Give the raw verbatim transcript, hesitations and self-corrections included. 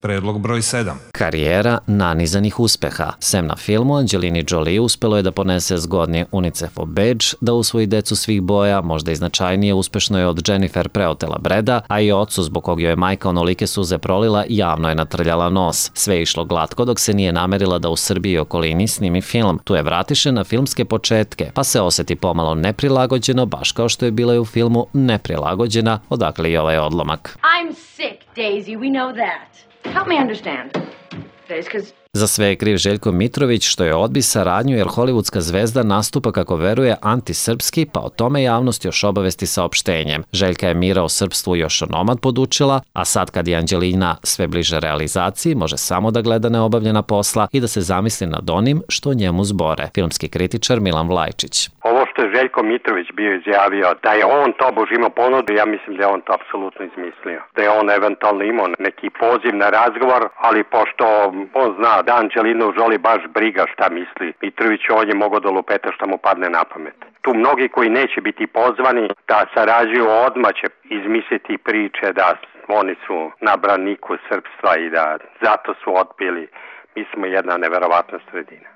Predlog broj sedam. Karijera nanizanih uspeha. Sem na filmu, Angelini Jolie uspelo je da ponese zgodni UNICEF-ov bedž, da usvoji decu svih boja, možda i značajnije uspešno je od Jennifer preotela Breda, a i ocu zbog kog joj je majka onolike suze prolila javno je natrljala nos. Sve je išlo glatko dok se nije namerila da u Srbiji i okolini snimi film. Tu je vratiše na filmske početke, pa se oseti pomalo neprilagođeno, baš kao što je bila i u filmu Neprilagođena, odakle i ovaj odlomak. I'm sick, Daisy, we know that. Help me understand. Because Za sve je kriv Željko Mitrović što je odbi saradnju jer hollywoodska zvezda nastupa kako veruje antisrpski, pa o tome javnost još obavesti saopštenjem. Željka je mira o srpstvu još onomad podučila, a sad kad je Anđelina sve bliže realizaciji, može samo da gleda neobavljena posla i da se zamisli nad onim što njemu zbore. Filmski kritičar Milan Vlajčić. Ovo što je Željko Mitrović bio izjavio da je on tobož imao ponudu, ja mislim da je on to apsolutno izmislio. Da je on eventualno imao neki poziv na razgovor, ali pošto on zna da Anđelinu Jolie baš briga šta misli Mitrović, on je mogao da lupeta šta mu padne na pamet. Tu mnogi koji neće biti pozvani da sarađuju odmah će izmisliti priče da oni su na braniku srpstva i da zato su odbili. Mi smo jedna neverovatna sredina.